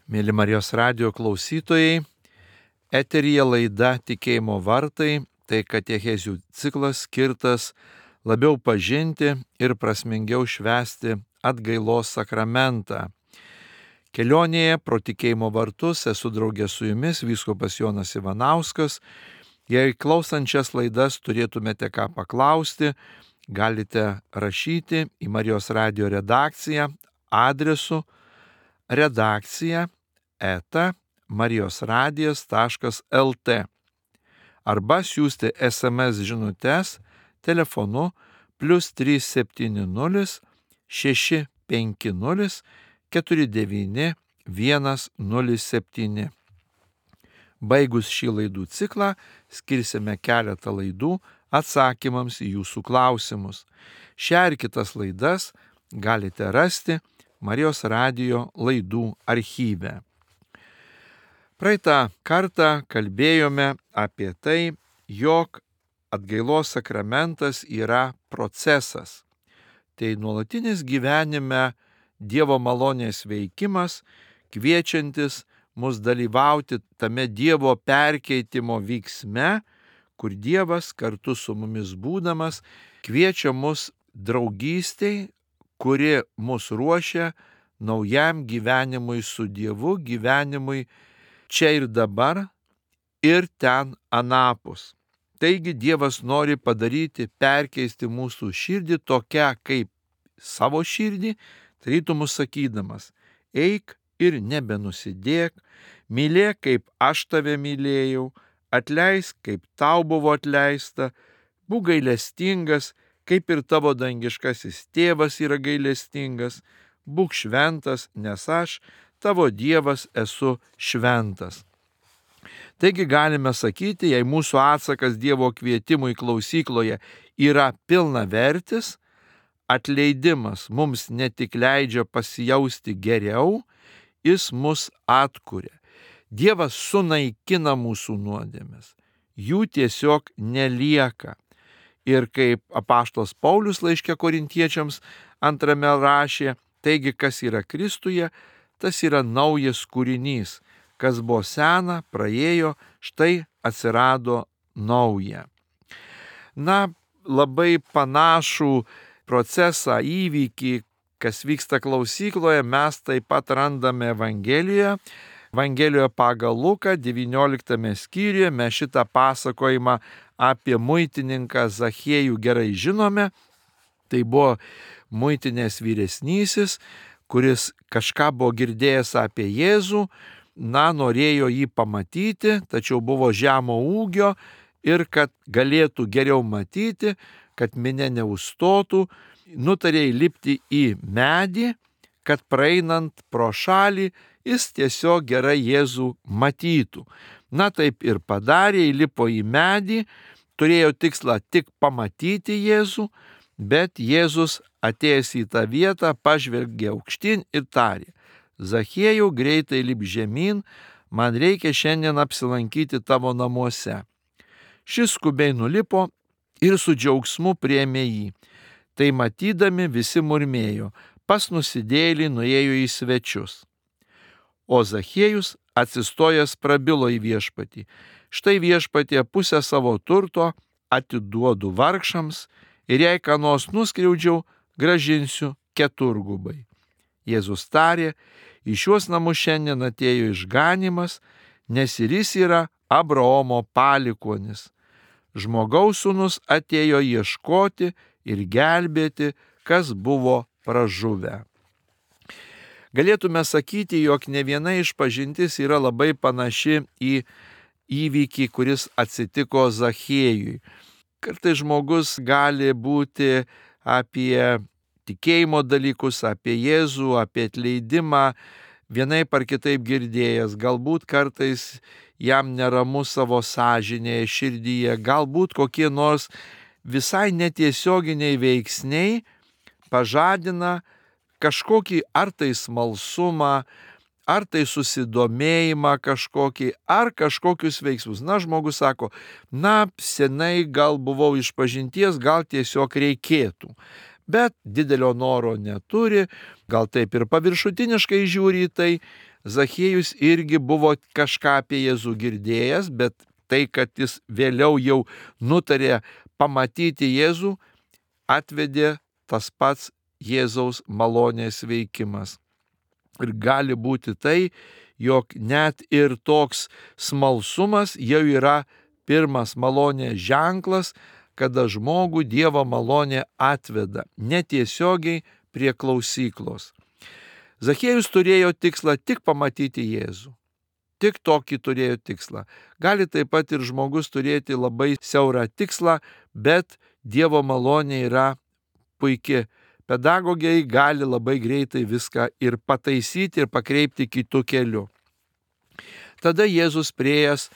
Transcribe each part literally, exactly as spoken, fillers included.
Mėly Marijos radijo klausytojai, eteryje laida Tikėjimo vartai, tai katechezių ciklas skirtas labiau pažinti ir prasmingiau švęsti atgailos sakramentą. Kelionėje pro tikėjimo vartus esu draugė su jumis vyskupas Jonas Ivanauskas. Jei klausančias laidas turėtumėte ką paklausti, galite rašyti į Marijos radijo redakciją adresu redakcija eta marijosradijas taškas lt arba siųsti es em es žinutes telefonu plius trys septyni nulis šeši penki nulis keturi devyni vienas nulis septyni. Baigus šį laidų ciklą skirsime keletą laidų atsakymams į jūsų klausimus. Šią ir kitas laidas galite rasti Marijos radijo laidų archyve. Praeitą kartą kalbėjome apie tai, jog atgailos sakramentas yra procesas. Tai nuolatinis gyvenime Dievo malonės veikimas, kviečiantis mus dalyvauti tame Dievo perkeitimo vyksme, kur Dievas kartu su mumis būdamas kviečia mus draugystei, kuri mus ruošia naujam gyvenimui su Dievu, gyvenimui čia ir dabar ir ten anapus. Taigi Dievas nori padaryti, perkeisti mūsų širdį tokią kaip savo širdį, tarytum mus sakydamas: eik ir nebenusidėk, mylėk kaip aš tave mylėjau, atleisk kaip tau buvo atleista, būk gailestingas, kaip ir tavo dangiškasis tėvas yra gailestingas, būk šventas, nes aš, tavo Dievas, esu šventas. Taigi galime sakyti, jei mūsų atsakas Dievo kvietimui klausykloje yra pilnavertis, atleidimas mums ne tik leidžia pasijausti geriau, jis mus atkuria. Dievas sunaikina mūsų nuodėmes, jų tiesiog nelieka. Ir kaip apaštalas Paulius laiške Korintiečiams antrame rašė, taigi kas yra Kristuje, tas yra naujas kūrinys. Kas buvo sena, praėjo, štai atsirado nauja. Na, labai panašų procesą, įvykį, kas vyksta klausykloje, mes taip pat randame Evangelijoje. Evangelijoje pagal Luką, devynioliktame skyriuje, mes šitą pasakojimą apie muitininką Zachiejų gerai žinome. Tai buvo muitinės vyresnysis, kuris kažką buvo girdėjęs apie Jėzų, na, norėjo jį pamatyti, tačiau buvo žemo ūgio ir kad galėtų geriau matyti, kad minia neužstotų, nutarė įlipti į medį, kad praeinant pro šalį jis tiesiog gerai Jėzų matytų. Na, taip ir padarė, įlipo į medį, turėjo tikslą tik pamatyti Jėzų, bet Jėzus atėjęs į tą vietą pažvelgė aukštyn ir tarė: Zachiejau, greitai lip žemyn, man reikia šiandien apsilankyti tavo namuose. Šis skubiai nulipo ir su džiaugsmu priėmė jį. Tai matydami visi murmėjo: pas nusidėjėlį nuėjo į svečius. O Zachiejus atsistojęs prabilo į viešpatį: štai viešpatie, pusę savo turto atiduodu vargšams ir jei ką nors nuskriaudžiau, gražinsiu keturgubai. Jėzus tarė: į šiuos namus šiandien atėjo išganymas, nes ir jis yra Abraomo palikuonis. Žmogaus sūnus atėjo ieškoti ir gelbėti, kas buvo pražuvę. Galėtume sakyti, jog ne viena išpažintis yra labai panaši į įvykį, kuris atsitiko Zachiejui. Kartais žmogus gali būti apie tikėjimo dalykus, apie Jėzų, apie atleidimą, vienaip ar kitaip girdėjęs, galbūt kartais jam neramu savo sąžinėje, širdyje, galbūt kokie nors visai netiesioginiai veiksniai pažadina kažkokį ar tai smalsumą, ar tai susidomėjimą kažkokį, ar kažkokius veiksmus. Na, žmogus sako, na, senai gal buvau išpažinties, gal tiesiog reikėtų. Bet didelio noro neturi, gal taip ir paviršutiniškai žiūri į tai. Zachiejus irgi buvo kažką apie Jėzų girdėjęs, bet tai, kad jis vėliau jau nutarė pamatyti Jėzų, atvedė tas pats Jėzaus malonės veikimas. Ir gali būti tai, jog net ir toks smalsumas jau yra pirmas malonės ženklas, kada žmogų Dievo malonė atveda netiesiogiai prie klausyklos. Zachiejus turėjo tikslą tik pamatyti Jėzų. Tik tokį turėjo tikslą. Gali taip pat ir žmogus turėti labai siaurą tikslą, bet Dievo malonė yra puikia. Pedagogai gali labai greitai viską ir pataisyti ir pakreipti kitų kelių. Tada Jėzus priėjęs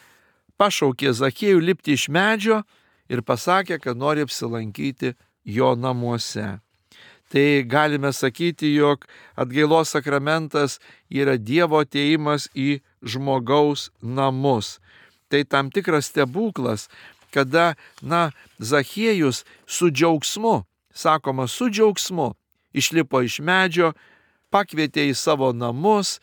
pašaukė Zachiejų lipti iš medžio ir pasakė, kad nori apsilankyti jo namuose. Tai galime sakyti, jog atgailos sakramentas yra Dievo atėjimas į žmogaus namus. Tai tam tikras stebuklas, kada, na, Zachiejus su džiaugsmu, sakoma, su džiaugsmu, išlipo iš medžio, pakvietė į savo namus,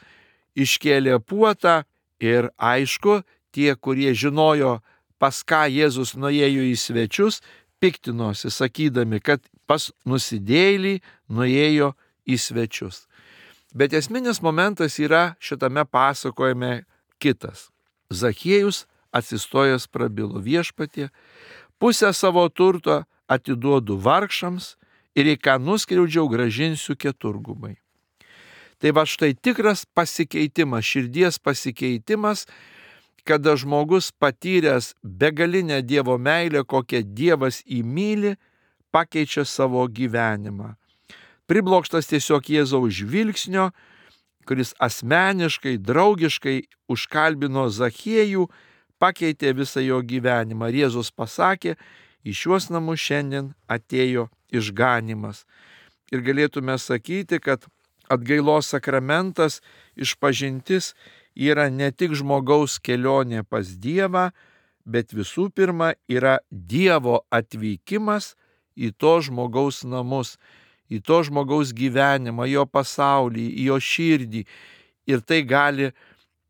iškėlė puotą ir aišku, tie, kurie žinojo, pas ką Jėzus nuėjo į svečius, piktinosi, sakydami, kad pas nusidėjėlį nuėjo į svečius. Bet esminis momentas yra šitame pasakojime kitas. Zachiejus atsistojęs prabilo: Viešpatie, pusę savo turto atiduodu vargšams ir į ką nuskriaudžiau gražinsiu keturgubai. Tai va štai tikras pasikeitimas, širdies pasikeitimas, kada žmogus patyręs begalinę Dievo meilę, kokią Dievas įmyli, pakeičia savo gyvenimą. Priblokštas tiesiog Jėzaus žvilgsnio, kuris asmeniškai, draugiškai užkalbino Zachiejų, pakeitė visą jo gyvenimą. Ir Jėzus pasakė, į šiuos namus šiandien atėjo išganymas. Ir galėtume sakyti, kad atgailos sakramentas, išpažintis yra ne tik žmogaus kelionė pas Dievą, bet visų pirma yra Dievo atvykimas į to žmogaus namus, į to žmogaus gyvenimą, jo pasaulį, į jo širdį. Ir tai gali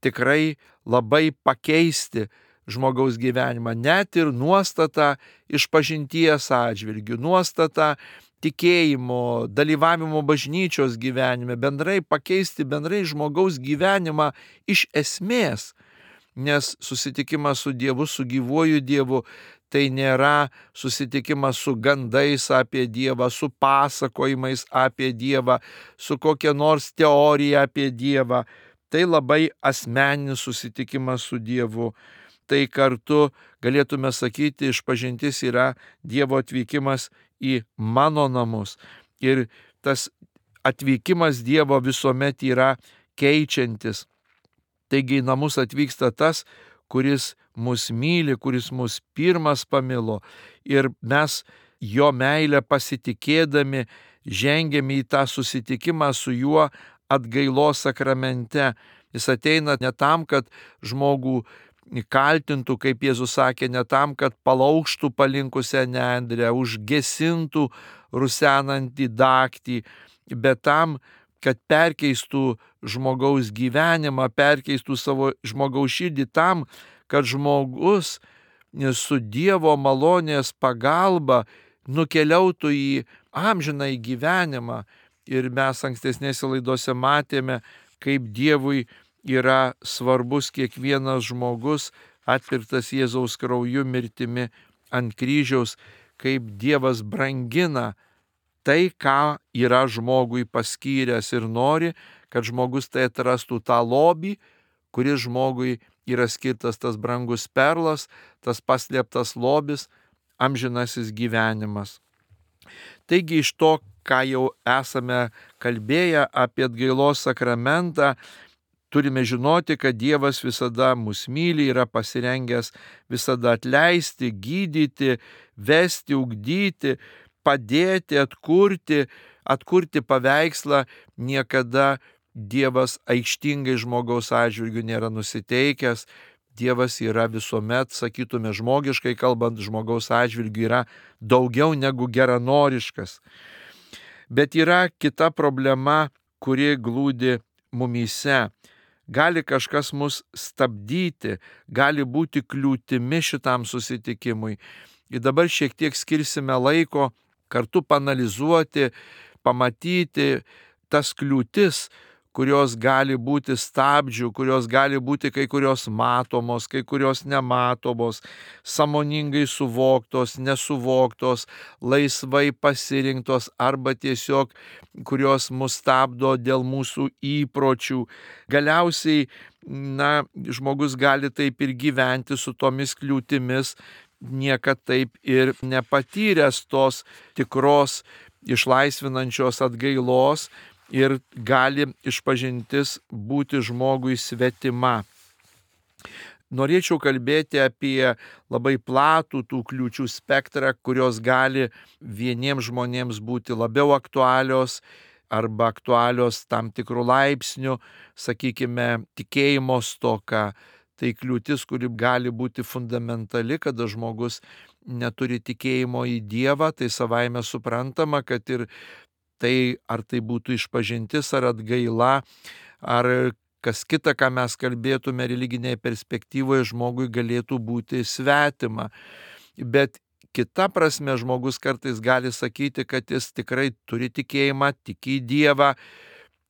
tikrai labai pakeisti žmogaus gyvenimą, net ir nuostata išpažinties atžvilgių, nuostata tikėjimo, dalyvavimo bažnyčios gyvenime, bendrai pakeisti bendrai žmogaus gyvenimą iš esmės, nes susitikimas su Dievu, su gyvuoju Dievu, tai nėra susitikimas su gandais apie Dievą, su pasakojimais apie Dievą, su kokia nors teorija apie Dievą. Tai labai asmeninis susitikimas su Dievu. Tai kartu galėtume sakyti, išpažintis yra Dievo atvykimas į mano namus. Ir tas atvykimas Dievo visuomet yra keičiantis. Taigi į namus atvyksta tas, kuris mus myli, kuris mus pirmas pamilo. Ir mes jo meilę pasitikėdami žengiame į tą susitikimą su juo atgailos sakramente. Jis ateina ne tam, kad žmogų kaltintų, kaip Jėzus sakė, ne tam, kad palaužtų palinkusią nendrę, užgesintų rusenantį daktį, bet tam, kad perkeistų žmogaus gyvenimą, perkeistų savo žmogaus širdį, tam, kad žmogus su Dievo malonės pagalba nukeliautų į amžiną į gyvenimą. Ir mes ankstesnėse laidose matėme, kaip Dievui yra svarbus kiekvienas žmogus atpirktas Jėzaus krauju mirtimi ant kryžiaus, kaip Dievas brangina tai, ką yra žmogui paskyręs ir nori, kad žmogus tai atrastų tą lobį, kuris žmogui yra skirtas, tas brangus perlas, tas paslėptas lobis, amžinasis gyvenimas. Taigi iš to, ką jau esame kalbėję apie atgailos sakramentą, turime žinoti, kad Dievas visada mus myli, yra pasirengęs visada atleisti, gydyti, vesti, ugdyti, padėti, atkurti, atkurti paveikslą. Niekada Dievas aikštingai žmogaus atžvilgiu nėra nusiteikęs. Dievas yra visuomet, sakytume žmogiškai kalbant, žmogaus atžvilgiu yra daugiau negu geranoriškas. Bet yra kita problema, kuri glūdi mumyse. gali kažkas mus stabdyti, gali būti kliūtimi šitam susitikimui. Ir dabar šiek tiek skirsime laiko kartu panalizuoti, pamatyti tas kliūtis, kurios gali būti stabdžių, kurios gali būti kai kurios matomos, kai kurios nematomos, sąmoningai suvoktos, nesuvoktos, laisvai pasirinktos arba tiesiog kurios mus stabdo dėl mūsų įpročių. Galiausiai, na, žmogus gali taip ir gyventi su tomis kliūtimis, niekad taip ir nepatyręs tos tikros išlaisvinančios atgailos, ir gali išpažintis būti žmogui svetima. Norėčiau kalbėti apie labai platų tų kliūčių spektrą, kurios gali vieniems žmonėms būti labiau aktualios arba aktualios tam tikrų laipsnių, sakykime, tikėjimo stoka. Tai kliūtis, kuri gali būti fundamentali, kada žmogus neturi tikėjimo į Dievą, tai savaime suprantama, kad ir tai, ar tai būtų išpažintis, ar atgaila, ar kas kita, ką mes kalbėtume religinėje perspektyvoje, žmogui galėtų būti svetima. Bet kita prasme žmogus kartais gali sakyti, kad jis tikrai turi tikėjimą, tiki į Dievą,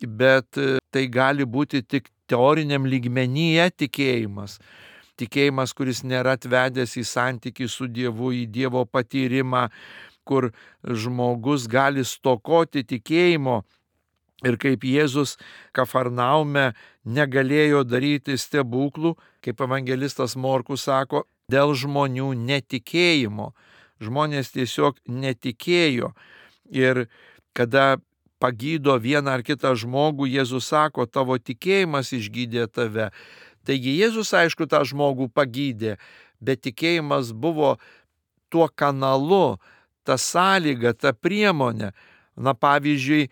bet tai gali būti tik teoriniam lygmenyje tikėjimas. Tikėjimas, kuris nėra atvedęs į santykį su Dievu, į Dievo patyrimą, kur žmogus gali stokoti tikėjimo. Ir kaip Jėzus Kafarnaume negalėjo daryti stebuklų, kaip evangelistas Morkus sako, dėl žmonių netikėjimo. Žmonės tiesiog netikėjo. Ir kada pagydo vieną ar kitą žmogų, Jėzus sako, tavo tikėjimas išgydė tave. Taigi Jėzus, aišku, tą žmogų pagydė, bet tikėjimas buvo tuo kanalu, ta sąlyga, ta priemonė. Na, pavyzdžiui,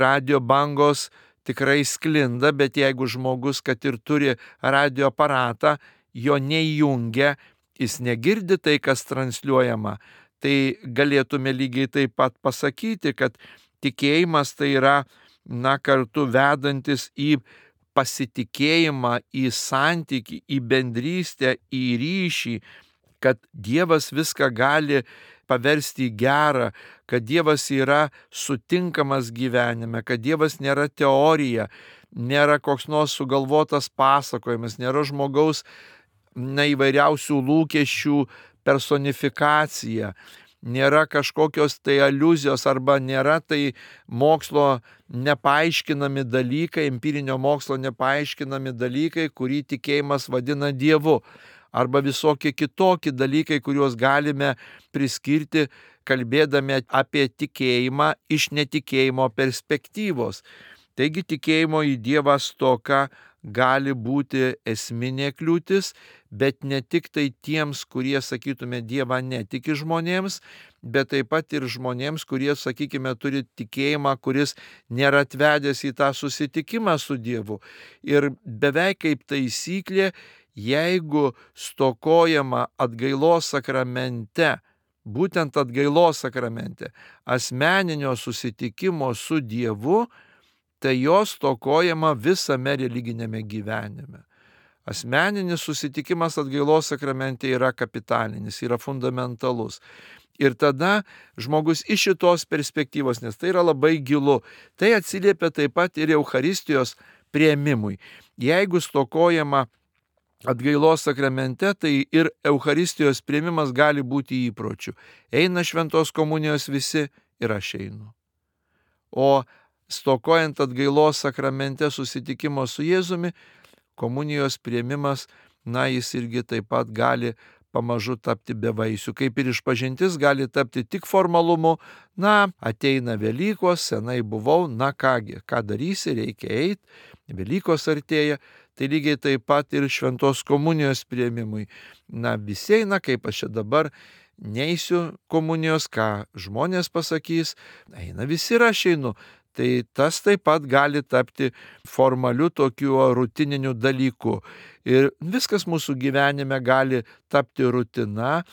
radio bangos tikrai sklinda, bet jeigu žmogus, kad ir turi radio aparatą, jo neįjungia, jis negirdi tai, kas transliuojama, tai galėtume lygiai taip pat pasakyti, kad tikėjimas tai yra, na, kartu vedantis į pasitikėjimą, į santykį, į bendrystę, į ryšį, kad Dievas viską gali paversti į gerą, kad Dievas yra sutinkamas gyvenime, kad Dievas nėra teorija, nėra koks nors sugalvotas pasakojimas, nėra žmogaus na, įvairiausių lūkesčių personifikacija, nėra kažkokios tai aliuzijos arba nėra tai mokslo nepaaiškinami dalykai, empirinio mokslo nepaaiškinami dalykai, kurį tikėjimas vadina Dievu. Arba visokie kitokie dalykai, kuriuos galime priskirti, kalbėdami apie tikėjimą iš netikėjimo perspektyvos. Taigi tikėjimo į Dievą stoka gali būti esminė kliūtis, bet ne tik tai tiems, kurie, sakytume, Dievą netiki žmonėms, bet taip pat ir žmonėms, kurie, sakykime, turi tikėjimą, kuris nėra atvedęs į tą susitikimą su Dievu. Ir beveik kaip taisyklė, jeigu stokojama atgailos sakramente, būtent atgailos sakramente, asmeninio susitikimo su Dievu, tai jos stokojama visame religinėme gyvenime. Asmeninis susitikimas atgailos sakramente yra kapitalinis, yra fundamentalus. Ir tada žmogus iš šitos perspektyvos, nes tai yra labai gilu, tai atsiliepia taip pat ir Eucharistijos priėmimui. Jeigu stokojama atgailos sakramente, tai ir Eucharistijos priėmimas gali būti įpročiu. Eina šventos komunijos visi ir aš einu. O stokojant atgailos sakramente susitikimo su Jėzumi, komunijos priėmimas, na, jis irgi taip pat gali pamažu tapti bevaisiu. Kaip ir išpažintis gali tapti tik formalumu, na, ateina Velykos, senai buvau, na kągi, ką darysi, reikia eiti, Velykos artėja, tai lygiai taip pat ir šventos komunijos priėmimui. Na, visi eina, kaip aš čia dabar neisiu komunijos, ką žmonės pasakys, eina visi ir aš einu. Tai tas taip pat gali tapti formaliu tokiu rutininiu dalyku. Ir viskas mūsų gyvenime gali tapti rutina,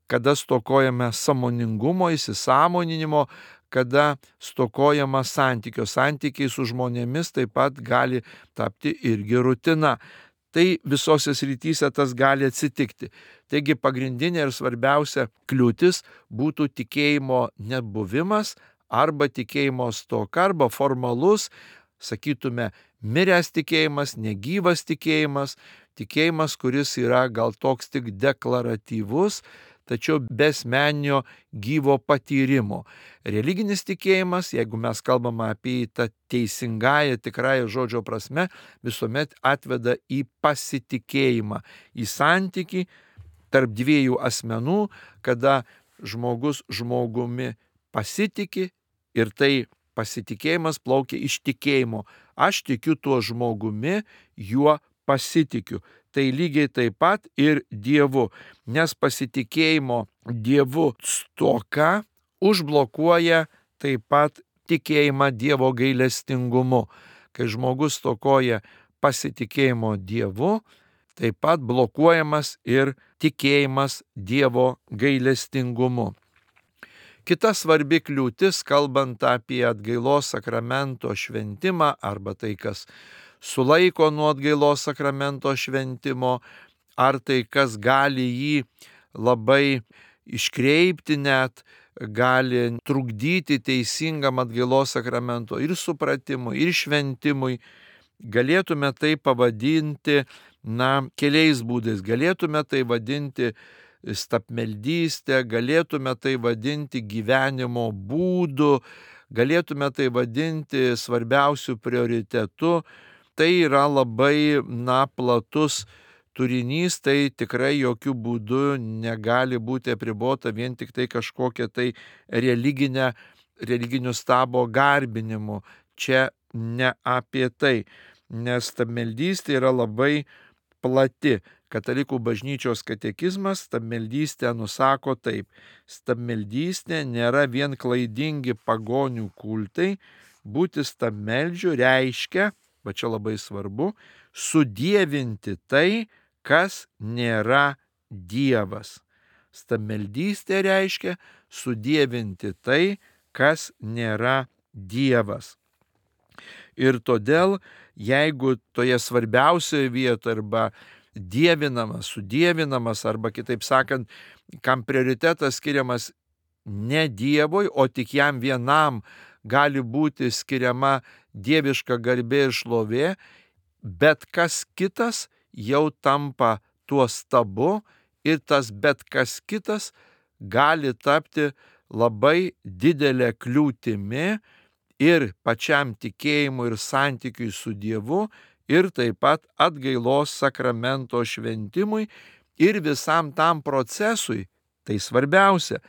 kada stokojame sąmoningumo, įsisąmoninimo, kada stokojama santykio. Santykiai su žmonėmis taip pat gali tapti irgi rutina. Tai visose srityse tas gali atsitikti. Taigi pagrindinė ir svarbiausia kliūtis būtų tikėjimo nebuvimas arba tikėjimo stoka arba formalus, sakytume, miręs tikėjimas, negyvas tikėjimas, tikėjimas, kuris yra gal toks tik deklaratyvus, tačiau be asmeninio gyvo patyrimo. Religinis tikėjimas, jeigu mes kalbame apie tą teisingąją, tikrąją žodžio prasme, visuomet atveda į pasitikėjimą, į santykį tarp dviejų asmenų, kada žmogus žmogumi pasitiki ir tai pasitikėjimas plaukia iš tikėjimo. Aš tikiu tuo žmogumi, juo pasitikiu. Tai lygiai taip pat ir Dievu, nes pasitikėjimo Dievu stoka užblokuoja taip pat tikėjimą Dievo gailestingumu. Kai žmogus stokoja pasitikėjimo Dievu, taip pat blokuojamas ir tikėjimas Dievo gailestingumu. Kita svarbi kliūtis, kalbant apie atgailos sakramento šventimą arba tai, kas sulaiko nuo atgailos sakramento šventimo, ar tai, kas gali jį labai iškreipti net, gali trukdyti teisingam atgailos sakramento ir supratimui, ir šventimui, galėtume tai pavadinti, na, keliais būdais. Galėtume tai vadinti stabmeldystę, galėtume tai vadinti gyvenimo būdu, galėtume tai vadinti svarbiausių prioritetų. Tai yra labai, na, platus turinys, tai tikrai jokių būdų negali būti apribota vien tik tai kažkokia tai religinė, religinių stabo garbinimu. Čia ne apie tai, nes stabmeldystė yra labai plati. Katalikų bažnyčios katekizmas stabmeldystę nusako taip. Stabmeldystė nėra vien klaidingi pagonių kultai, būti stabmeldžiu reiškia, va čia labai svarbu, sudievinti tai, kas nėra Dievas. Stabmeldystė reiškia sudievinti tai, kas nėra Dievas. Ir todėl, jeigu toje svarbiausioje vietoje arba dievinamas, sudievinamas, arba kitaip sakant, kam prioritetas skiriamas ne Dievui, o tik jam vienam gali būti skiriama dieviška garbė ir šlovė, bet kas kitas jau tampa tuo stabu ir tas bet kas kitas gali tapti labai didelė kliūtimi ir pačiam tikėjimui ir santykiui su Dievu, ir taip pat atgailos sakramento šventimui ir visam tam procesui. Tai svarbiausia,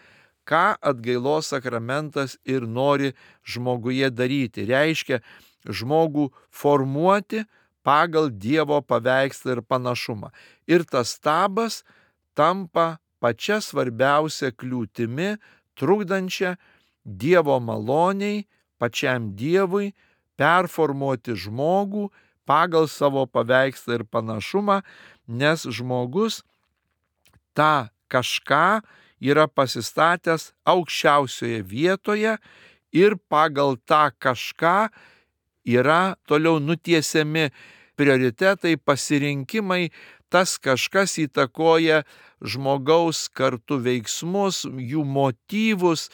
ką atgailos sakramentas ir nori žmoguje daryti. Reiškia žmogų formuoti pagal Dievo paveikslą ir panašumą. Ir tas stabas tampa pačia svarbiausia kliūtimi, trukdančia Dievo maloniai, pačiam Dievui performuoti žmogų pagal savo paveikslą ir panašumą, nes žmogus tą kažką yra pasistatęs aukščiausioje vietoje ir pagal tą kažką yra toliau nutiesiami prioritetai, pasirinkimai, tas kažkas įtakoja žmogaus kartu veiksmus, jų motyvus,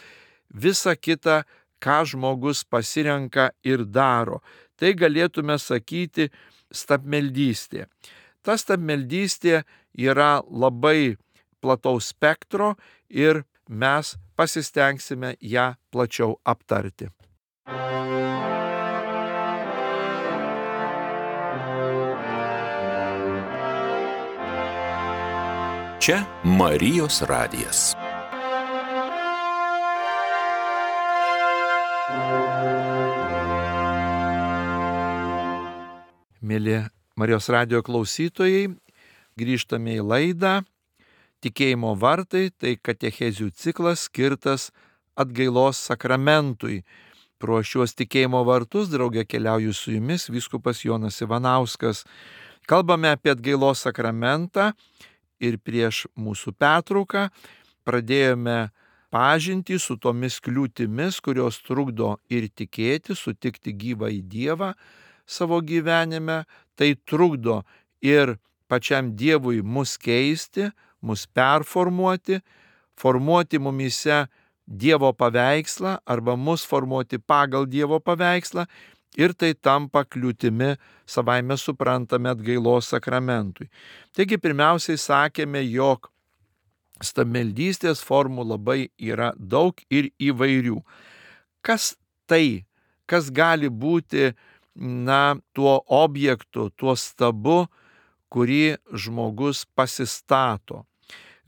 visa kita, ką žmogus pasirenka ir daro. Tai galėtume sakyti stabmeldystė. Ta stabmeldystė yra labai plataus spektro ir mes pasistengsime ją plačiau aptarti. Čia Marijos radijas. Mėly Marijos radijo klausytojai, grįžtame į laidą Tikėjimo vartai, tai katechezių ciklas skirtas atgailos sakramentui. Pro šiuos tikėjimo vartus drauge keliauju su jumis vyskupas Jonas Ivanauskas. Kalbame apie atgailos sakramentą ir prieš mūsų pertrauką pradėjome pažintį su tomis kliūtimis, kurios trukdo ir tikėti, sutikti gyvą į Dievą savo gyvenime, tai trukdo ir pačiam Dievui mus keisti, mus performuoti, formuoti mumyse Dievo paveikslą arba mus formuoti pagal Dievo paveikslą, ir tai tampa kliūtimi savaime suprantame atgailos sakramentui. Taigi pirmiausiai sakėme, jog stabmeldystės formų labai yra daug ir įvairių. Kas tai, kas gali būti, na, tuo objektu, tuo stabu, kurį žmogus pasistato?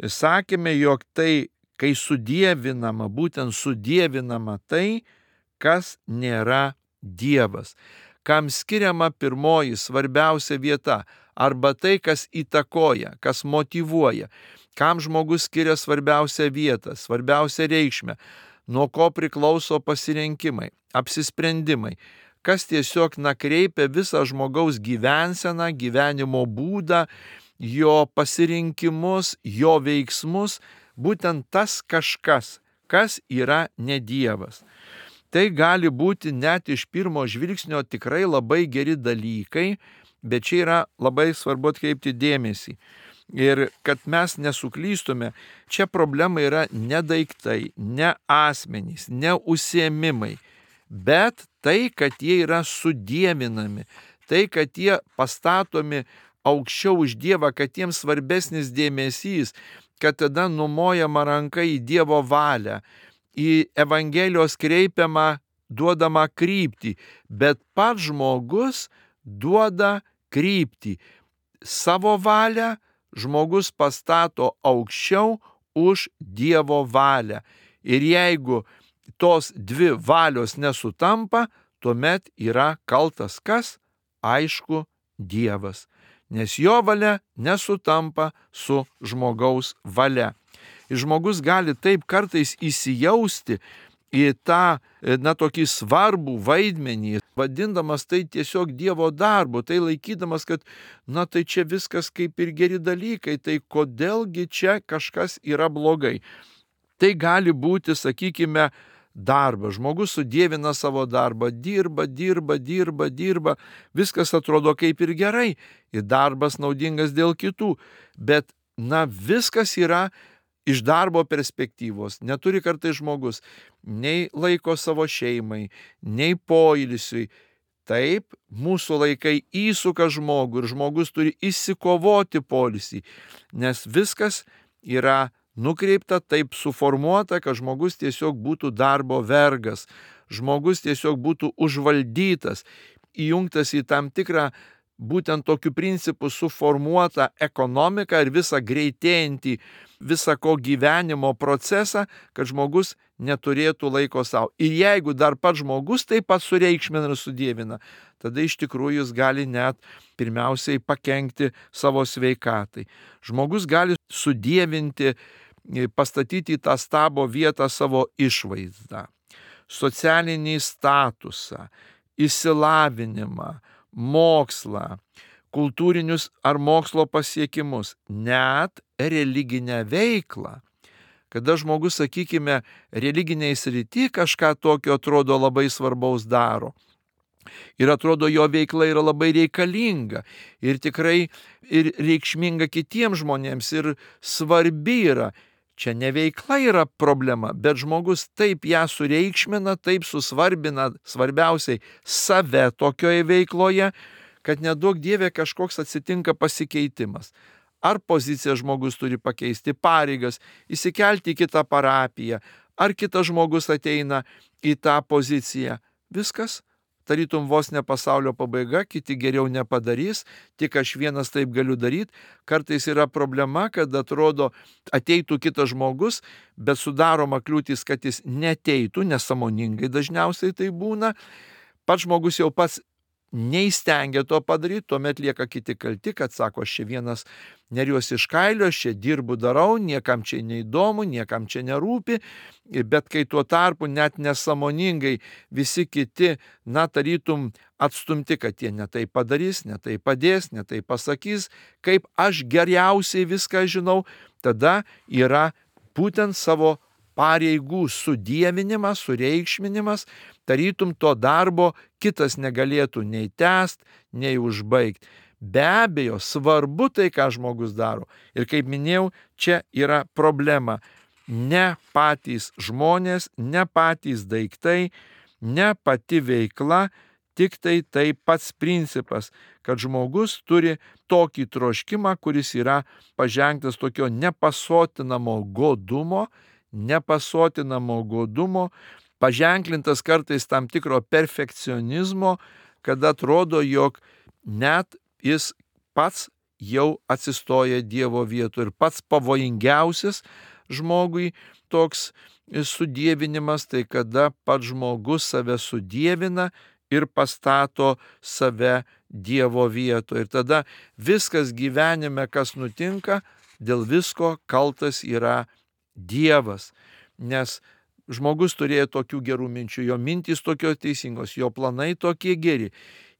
Sakėme, jog tai, kai sudievinama, būtent sudievinama tai, kas nėra Dievas, kam skiriama pirmoji svarbiausia vieta, arba tai, kas įtakoja, kas motyvuoja, kam žmogus skiria svarbiausią vietą, svarbiausią reikšmę, nuo ko priklauso pasirinkimai, apsisprendimai, kas tiesiog nakreipia visą žmogaus gyvenseną, gyvenimo būdą, jo pasirinkimus, jo veiksmus, būtent tas kažkas, kas yra ne Dievas. Tai gali būti net iš pirmo žvilgsnio tikrai labai geri dalykai, bet čia yra labai svarbu atkreipti dėmesį. Ir kad mes nesuklystume, čia problema yra ne daiktai, ne asmenys, ne užsiėmimai, bet tai, kad jie yra sudievinami, tai, kad jie pastatomi aukščiau už Dievą, kad jiems svarbesnis dėmesys, kad tada numojama ranka į Dievo valią, į Evangelijos kreipiamą, duodamą kryptį, bet pats žmogus duoda kryptį. Savo valią žmogus pastato aukščiau už Dievo valią. Ir jeigu tos dvi valios nesutampa, tuomet yra kaltas kas? Aišku, Dievas. Nes jo valia nesutampa su žmogaus valia. Ir žmogus gali taip kartais įsijausti į tą, na, tokį svarbų vaidmenį, vadindamas tai tiesiog Dievo darbu, tai laikydamas, kad, na, tai čia viskas kaip ir geri dalykai, tai kodėlgi čia kažkas yra blogai. Tai gali būti, sakykime, darbas. Žmogus sudievina savo darbą, dirba, dirba, dirba, dirba, viskas atrodo kaip ir gerai, ir darbas naudingas dėl kitų, bet, na, viskas yra iš darbo perspektyvos. Neturi kartais žmogus nei laiko savo šeimai, nei poilsiui. Taip, mūsų laikai įsuka žmogų ir žmogus turi išsikovoti poilsį, nes viskas yra nukreipta, taip suformuota, kad žmogus tiesiog būtų darbo vergas, žmogus tiesiog būtų užvaldytas, įjungtas į tam tikrą būtent tokiu principu suformuotą ekonomiką ir visą greitėjantį visą ko gyvenimo procesą, kad žmogus neturėtų laiko savo. Ir jeigu dar pats žmogus taip pat sureikšmina ir sudievina, tada iš tikrųjų jis gali net pirmiausiai pakenkti savo sveikatai. Žmogus gali sudievinti, pastatyti į tą stabo vietą savo išvaizdą, socialinį statusą, išsilavinimą, mokslą, kultūrinius ar mokslo pasiekimus, net religinę veiklą. Kada žmogus, sakykime, religiniai srity kažką tokio atrodo labai svarbaus daro. Ir atrodo, jo veikla yra labai reikalinga ir tikrai ir reikšminga kitiems žmonėms ir svarbi yra. Čia ne veikla yra problema, bet žmogus taip ją sureikšmina, taip susvarbina svarbiausiai save tokioje veikloje, kad neduok Dieve kažkoks atsitinka pasikeitimas. Ar poziciją žmogus turi pakeisti, pareigas, įsikelti į kitą parapiją, ar kitas žmogus ateina į tą poziciją. Viskas, tarytum vos ne pasaulio pabaiga, kiti geriau nepadarys, tik aš vienas taip galiu daryti. Kartais yra problema, kad atrodo ateitų kitas žmogus, bet sudaroma kliūtis, kad jis neteitų, nesąmoningai dažniausiai tai būna. Pats žmogus jau pats neįstengia to padaryti, tuomet lieka kiti kalti, kad sako, aš čia vienas neriuosi iš kailio, aš čia dirbu, darau, niekam čia neįdomu, niekam čia nerūpi, bet kai tuo tarpu net nesąmoningai visi kiti, na, tarytum atstumti, kad jie netai padarys, netai padės, netai pasakys, kaip aš geriausiai viską žinau, tada yra būtent savo pareigų sudievinimas, sureikšminimas, tarytum to darbo kitas negalėtų nei tęst, nei užbaigti. Be abejo, svarbu tai, ką žmogus daro. Ir kaip minėjau, čia yra problema. Ne patys žmonės, ne patys daiktai, ne pati veikla, tik tai tai pats principas, kad žmogus turi tokį troškimą, kuris yra paženktas tokio nepasotinamo godumo, nepasotinamo godumo, paženklintas kartais tam tikro perfekcionizmo, kad atrodo, jog net jis pats jau atsistoja Dievo vietoje ir pats pavojingiausias žmogui toks sudievinimas, tai kada pats žmogus save sudievina ir pastato save Dievo vietoje. Ir tada viskas gyvenime, kas nutinka, dėl visko kaltas yra Dievas. Nes žmogus turėjo tokių gerų minčių, jo mintys tokios teisingos, jo planai tokie geri,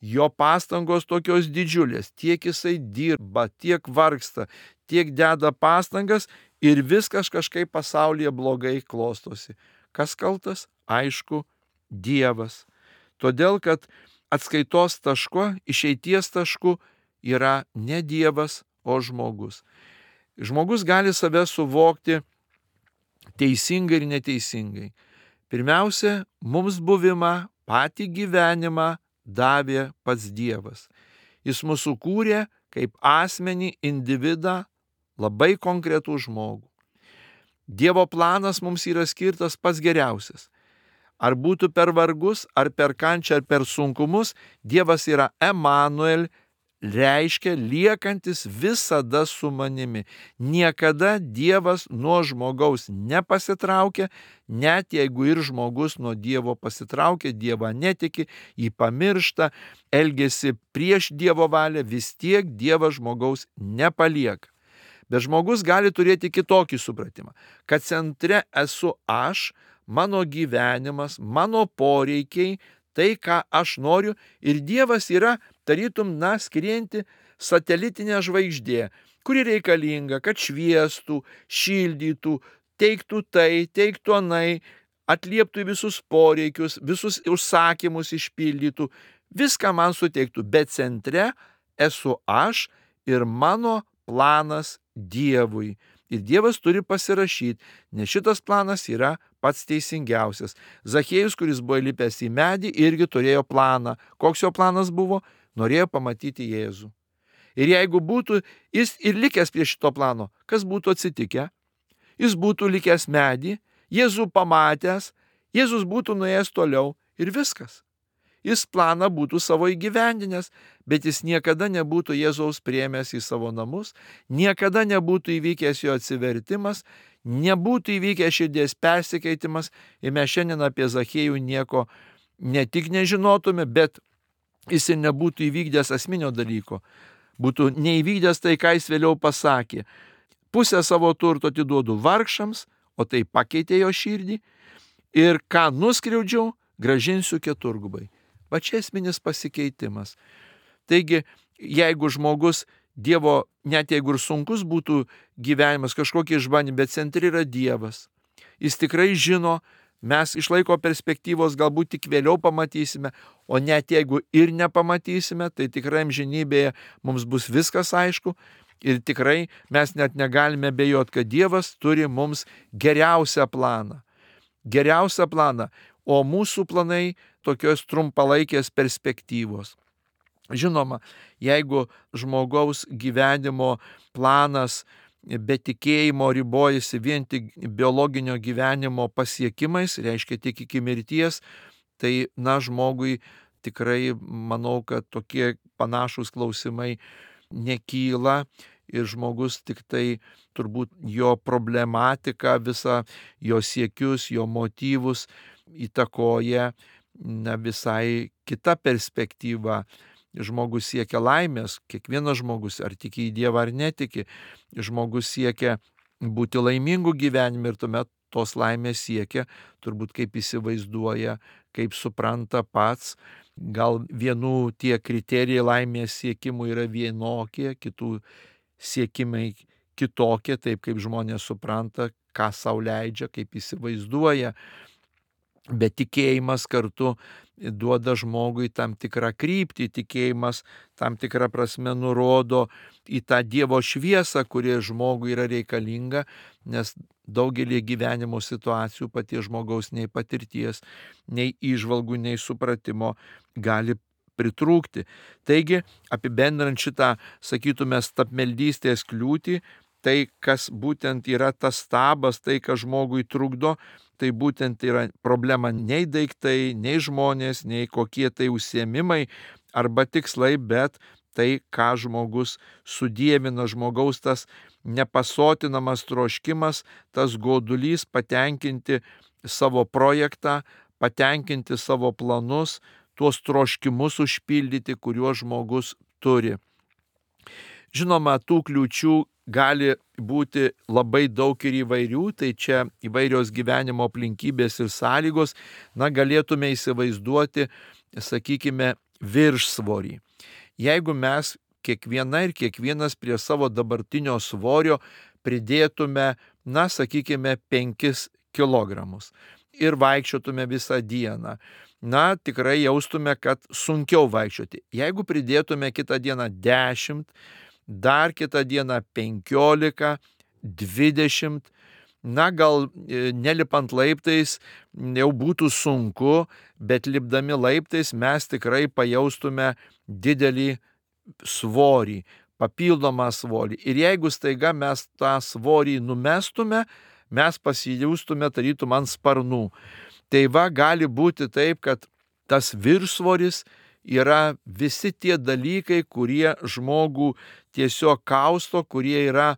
jo pastangos tokios didžiulės, tiek jisai dirba, tiek vargsta, tiek deda pastangas ir viskas kažkaip pasaulyje blogai klostosi. Kas kaltas? Aišku, Dievas. Todėl, kad atskaitos taško, išeities tašku yra ne Dievas, o žmogus. Žmogus gali save suvokti teisingai ir neteisingai. Pirmiausia, mums buvimą, patį gyvenimą davė pats Dievas. Jis mūsų kūrė kaip asmenį, individą, labai konkretų žmogų. Dievo planas mums yra skirtas pats geriausias. Ar būtų per vargus, ar per kančią, ar per sunkumus, Dievas yra Emanuel, reiškia liekantis visada su manimi. Niekada Dievas nuo žmogaus nepasitraukia, net jeigu ir žmogus nuo Dievo pasitraukia, Dievą netiki, jį pamiršta, elgesi prieš Dievo valią, vis tiek Dievas žmogaus nepalieka. Bet žmogus gali turėti kitokį supratimą, kad centre esu aš, mano gyvenimas, mano poreikiai, tai, ką aš noriu, ir Dievas yra tarytum, na, skrienti satelitinė žvaigždė, kuri reikalinga, kad šviestų, šildytų, teiktų tai, teiktų anai, atlieptų visus poreikius, visus užsakymus išpildytų, viską man suteiktų, bet centre esu aš ir mano planas Dievui. Ir Dievas turi pasirašyti, nes šitas planas yra pats teisingiausias. Zachiejus, kuris buvo įlipęs į medį, irgi turėjo planą. Koks jo planas buvo? Norėjo pamatyti Jėzų. Ir jeigu būtų jis ir likęs prie šito plano, kas būtų atsitikę? Jis būtų likęs medį, Jėzų pamatęs, Jėzus būtų nuėjęs toliau ir viskas. Jis planą būtų savo įgyvendinęs, bet jis niekada nebūtų Jėzaus priėmęs į savo namus, niekada nebūtų įvykęs jo atsivertimas, nebūtų įvykęs širdies persikeitimas ir mes šiandien apie Zachiejų nieko ne tik nežinotume, bet jis ir nebūtų įvykdęs esminio dalyko. Būtų neįvykdęs tai, ką jis vėliau pasakė. Pusę savo turto atiduodu vargšams, o tai pakeitė jo širdį, ir ką nuskriaudžiau, grąžinsiu keturgubai. Va čia esminis pasikeitimas. Taigi, jeigu žmogus Dievo, net jeigu ir sunkus būtų gyvenimas, kažkokie išbandymai, bet centre yra Dievas. Jis tikrai žino, mes iš laiko perspektyvos galbūt tik vėliau pamatysime, o net jeigu ir nepamatysime, tai tikrai amžinybėje mums bus viskas aišku ir tikrai mes net negalime abejoti, kad Dievas turi mums geriausią planą. Geriausią planą, o mūsų planai tokios trumpalaikės perspektyvos. Žinoma, jeigu žmogaus gyvenimo planas be tikėjimo ribojasi vien tik biologinio gyvenimo pasiekimais, reiškia tik iki mirties, tai, na, žmogui tikrai manau, kad tokie panašūs klausimai nekyla ir žmogus tik tai turbūt jo problematiką, visą jo siekius, jo motyvus įtakoja na, visai kita perspektyva. Žmogus siekia laimės, kiekvienas žmogus, ar tiki į Dievą ar netiki, žmogus siekia būti laimingų gyvenime ir tuomet tos laimės siekia, turbūt kaip įsivaizduoja, kaip supranta pats. Gal vienų tie kriterijai laimės siekimų yra vienokie, kitų siekimai kitokia, taip kaip žmonės supranta, ką sau leidžia, kaip įsivaizduoja. Bet tikėjimas kartu duoda žmogui tam tikrą kryptį, tikėjimas tam tikrą prasme nurodo į tą Dievo šviesą, kuri žmogui yra reikalinga, nes daugelį gyvenimo situacijų paties žmogaus nei patirties, nei įžvalgų, nei supratimo gali pritrūkti. Taigi, apibendrinant šitą, sakytume, stabmeldystės kliūtį, tai, kas būtent yra tas stabas, tai, kas žmogui trukdo, tai būtent yra problema nei daiktai, nei žmonės, nei kokie tai užsiėmimai arba tikslai, bet tai, ką žmogus sudievina, žmogaus tas nepasotinamas troškimas, tas godulys patenkinti savo projektą, patenkinti savo planus, tuos troškimus užpildyti, kuriuos žmogus turi. Žinoma, tų kliūčių gali būti labai daug ir įvairių, tai čia įvairios gyvenimo aplinkybės ir sąlygos, na, galėtume įsivaizduoti, sakykime, viršsvorį. Jeigu mes kiekviena ir kiekvienas prie savo dabartinio svorio pridėtume, na, sakykime, penkis kilogramus ir vaikščiotume visą dieną, na, tikrai jaustume, kad sunkiau vaikščioti. Jeigu pridėtume kitą dieną dešimt, dar kitą dieną penkiolika, dvidešimt, na, gal nelipant laiptais jau būtų sunku, bet lipdami laiptais mes tikrai pajaustume didelį svorį, papildomą svorį. Ir jeigu staiga mes tą svorį numestume, mes pasijaustume tarytum ant sparnų. Tai va, gali būti taip, kad tas viršsvoris yra visi tie dalykai, kurie žmogų tiesiog kausto, kurie yra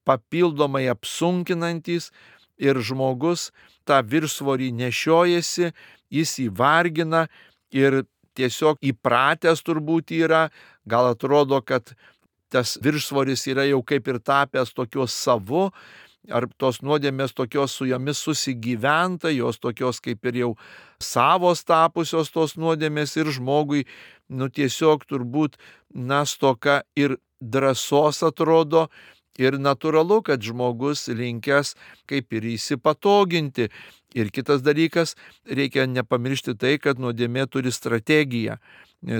papildomai apsunkinantys ir žmogus tą viršsvorį nešiojasi, jis įvargina ir tiesiog įpratęs turbūt yra, gal atrodo, kad tas viršsvoris yra jau kaip ir tapęs tokios savu, ar tos nuodėmės tokios su jomis susigyventa, jos tokios kaip ir jau savos tapusios tos nuodėmės ir žmogui, nu tiesiog turbūt, na, stoka ir drąsos atrodo ir natūralu, kad žmogus linkęs kaip ir įsipatoginti. Ir kitas dalykas, reikia nepamiršti tai, kad nuodėmė turi strategiją,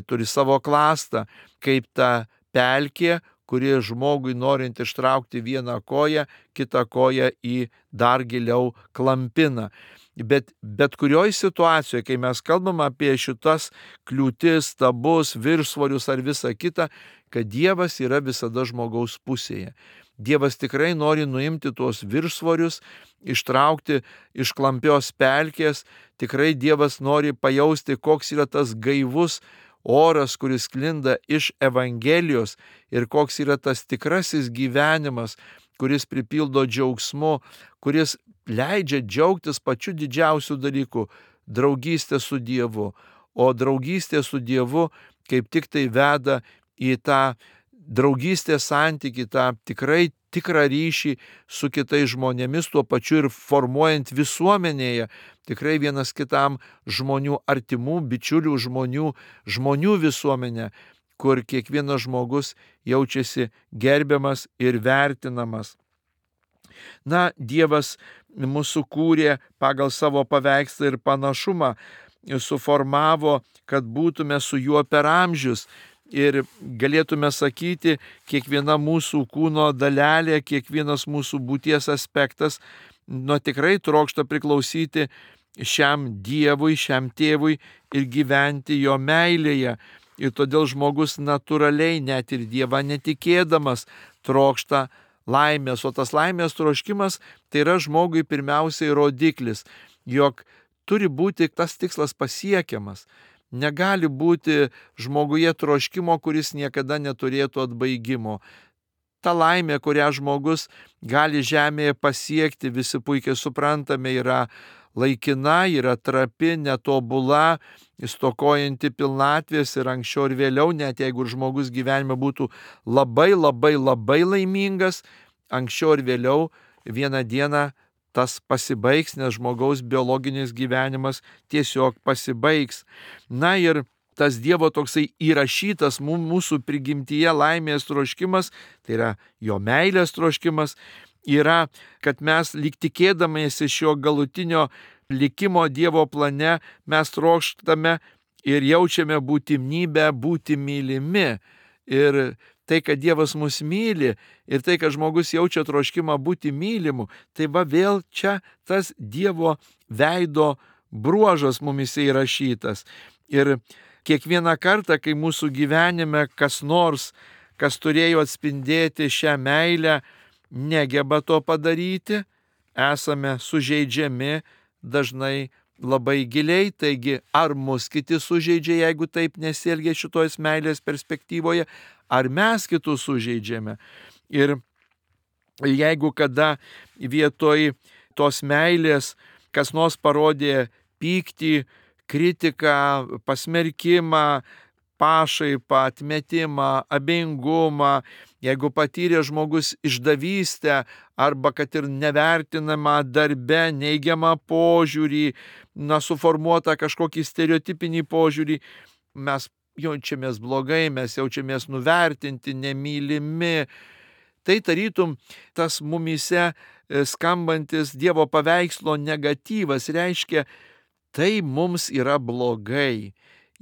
turi savo klastą, kaip ta pelkė, kuri žmogui norint ištraukti vieną koją, kitą koją į dar giliau klampina. Bet bet kurioje situacijoje, kai mes kalbam apie šitas kliūtis, stabus, viršsvorius ar visą kitą, kad Dievas yra visada žmogaus pusėje. Dievas tikrai nori nuimti tuos viršsvorius, ištraukti iš klampios pelkės, tikrai Dievas nori pajausti, koks yra tas gaivus oras, kuris sklinda iš Evangelijos ir koks yra tas tikrasis gyvenimas, kuris pripildo džiaugsmu, kuris leidžia džiaugtis pačiu didžiausiu dalyku - draugystė su Dievu. O draugystė su Dievu kaip tik tai veda į tą draugystės santykį, tą tikrai tikrą ryšį su kitais žmonėmis, tuo pačiu ir formuojant visuomenėje tikrai vienas kitam žmonių artimų, bičiulių žmonių, žmonių visuomenę, kur kiekvienas žmogus jaučiasi gerbiamas ir vertinamas. Na, Dievas mūsų kūrė pagal savo paveikslą ir panašumą, suformavo, kad būtume su juo per amžius. Ir galėtume sakyti, kiekviena mūsų kūno dalelė, kiekvienas mūsų būties aspektas, nu tikrai trokšta priklausyti šiam Dievui, šiam tėvui ir gyventi jo meilėje. Ir todėl žmogus natūraliai, net ir Dievą netikėdamas, trokšta laimės. O tas laimės troškimas tai yra žmogui pirmiausiai rodiklis, jog turi būti tas tikslas pasiekiamas. Negali būti žmoguje troškimo, kuris niekada neturėtų atbaigimo. Ta laimė, kurią žmogus gali žemėje pasiekti, visi puikiai suprantame, yra laikina, yra trapi, netobula, stokojanti pilnatvės ir anksčiau ir vėliau, net jeigu žmogus gyvenime būtų labai labai labai laimingas, anksčiau ir vėliau vieną dieną tas pasibaigs, nes žmogaus biologinis gyvenimas tiesiog pasibaigs. Na ir tas Dievo toksai įrašytas mūsų prigimtyje laimės troškimas, tai yra jo meilės troškimas, yra, kad mes lyg tikėdamiesi šio galutinio likimo Dievo plane, mes trokštame ir jaučiame būtinybę būti mylimi. Ir tai, kad Dievas mus myli ir tai, kad žmogus jaučia troškimą būti mylimu, tai va vėl čia tas Dievo veido bruožas mumise įrašytas. Ir kiekvieną kartą, kai mūsų gyvenime kas nors, kas turėjo atspindėti šią meilę, negeba to padaryti, esame sužeidžiami dažnai labai giliai. Taigi, ar mus kiti sužeidžia, jeigu taip nesielgia šitos meilės perspektyvoje, ar mes kitus sužeidžiame. Ir jeigu kada vietoj tos meilės kas nors parodė pyktį, kritiką, pasmerkimą, pašaipą, atmetimą, abejingumą, jeigu patyrė žmogus išdavystę arba kad ir nevertinamą darbe, neigiamą požiūrį, na, suformuotą kažkokį stereotipinį požiūrį, mes jaučiamės blogai, mes jaučiamės nuvertinti, nemylimi. Tai tarytum tas mumyse skambantis Dievo paveikslo negatyvas reiškia, tai mums yra blogai.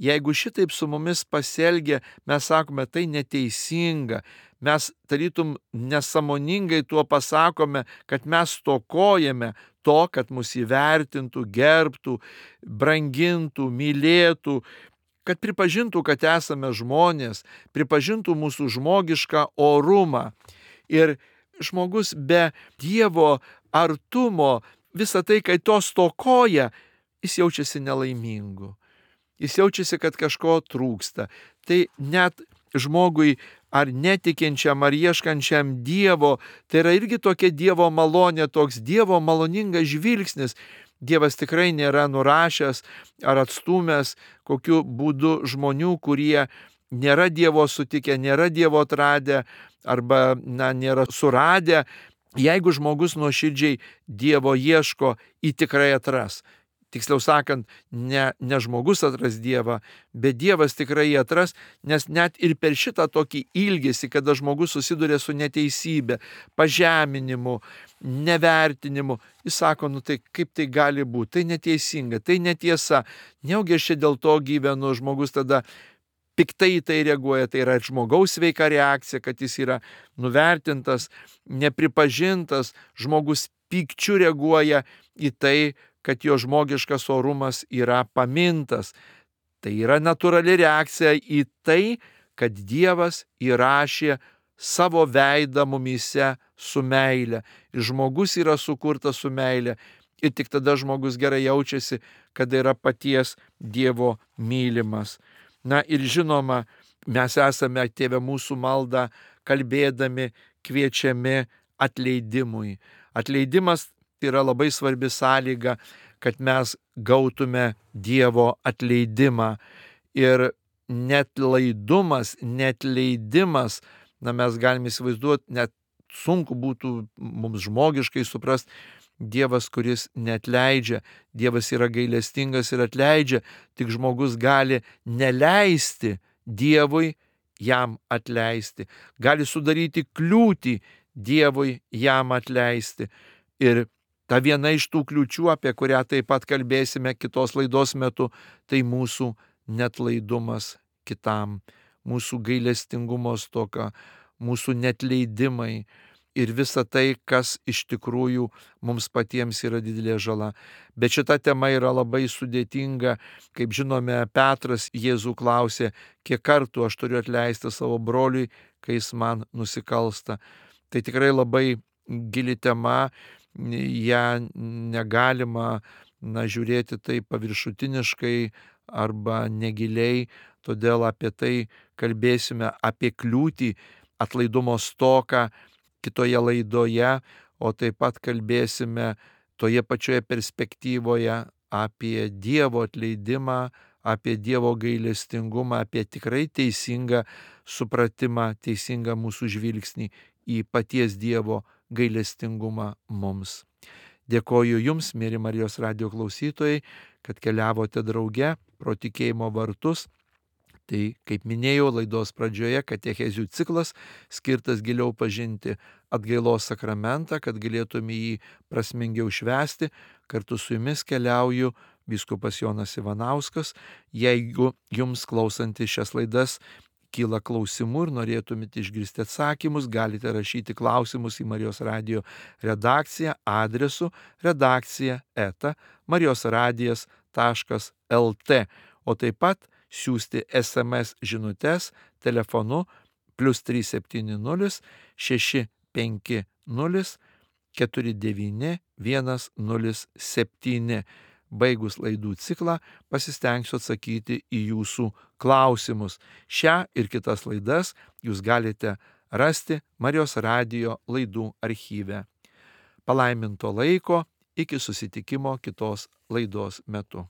Jeigu šitaip su mumis pasielgia, mes sakome, tai neteisinga. Mes tarytum nesąmoningai tuo pasakome, kad mes stokojame to, kad mus įvertintų, gerbtų, brangintų, mylėtų, kad pripažintų, kad esame žmonės, pripažintų mūsų žmogišką orumą. Ir žmogus be Dievo artumo, visą tai, kai to stokoja, jis jaučiasi nelaimingu. Jis jaučiasi, kad kažko trūksta. Tai net žmogui ar netikinčiam, ar ieškančiam Dievo, tai yra irgi tokia Dievo malonė, toks Dievo maloningas žvilgsnis. Dievas tikrai nėra nurašęs ar atstūmęs kokiu būdu žmonių, kurie nėra Dievo sutikę, nėra Dievo atradę arba na, nėra suradę. Jeigu žmogus nuoširdžiai Dievo ieško, jį tikrai atras. Tiksliau sakant, ne, ne žmogus atras Dievą, bet Dievas tikrai jį atras, nes net ir per šitą tokį ilgesį, kada žmogus susiduria su neteisybė, pažeminimu, nevertinimu, jis sako, nu tai kaip tai gali būti, tai neteisinga, tai netiesa, neugi aš čia dėl to gyvenu, žmogus tada piktai į tai reaguoja, tai yra žmogaus sveika reakcija, kad jis yra nuvertintas, nepripažintas, žmogus pykčiu reaguoja į tai, kad jo žmogiškas orumas yra pamintas. Tai yra natūrali reakcija į tai, kad Dievas įrašė savo veidą mumyse su meile. Ir žmogus yra sukurtas su meile. Ir tik tada žmogus gerai jaučiasi, kad yra paties Dievo mylimas. Na ir žinoma, mes esame Tėve mūsų maldą kalbėdami, kviečiami atleidimui. Atleidimas yra labai svarbi sąlyga, kad mes gautume Dievo atleidimą. Ir netlaidumas, netleidimas, na mes galime įsivaizduoti, net sunku būtų mums žmogiškai suprasti, Dievas, kuris neatleidžia, Dievas yra gailestingas ir atleidžia, tik žmogus gali neleisti Dievui jam atleisti, gali sudaryti kliūtį Dievui jam atleisti. Ir ta viena iš tų kliūčių, apie kurią taip pat kalbėsime kitos laidos metu, tai mūsų netlaidumas kitam, mūsų gailestingumo stoka, mūsų netleidimai ir visa tai, kas iš tikrųjų mums patiems yra didelė žala. Bet šita tema yra labai sudėtinga. Kaip žinome, Petras Jėzų klausė, kiek kartų aš turiu atleisti savo broliui, kai jis man nusikalsta. Tai tikrai labai gili tema. Ją negalima na, žiūrėti taip paviršutiniškai arba negiliai, todėl apie tai kalbėsime, apie kliūtį, atlaidumo stoką kitoje laidoje, o taip pat kalbėsime toje pačioje perspektyvoje apie Dievo atleidimą, apie Dievo gailestingumą, apie tikrai teisingą supratimą, teisingą mūsų žvilgsnį į paties Dievo gailestingumą mums. Dėkoju Jums, mieli Marijos radijo klausytojai, kad keliavote drauge pro tikėjimo vartus Tai, kaip minėjau laidos pradžioje, katechezių ciklas skirtas giliau pažinti atgailos sakramentą, kad galėtume jį prasmingiau švęsti. Kartu su jumis keliauju vyskupas Jonas Ivanauskas. Jeigu jums klausantis šias laidas kyla klausimų ir norėtumėte išgirsti atsakymus, galite rašyti klausimus į Marijos radijo redakciją adresu redakcija eta marijosradijas taškas lt, o taip pat siųsti es em es žinutes telefonu plius trys septyni nulis šeši penki nulis keturi devyni vienas nulis septyni. Baigus laidų ciklą pasistengsiu atsakyti į jūsų klausimus. Šią ir kitas laidas jūs galite rasti Marijos radijo laidų archyve. Palaiminto laiko, iki susitikimo kitos laidos metu.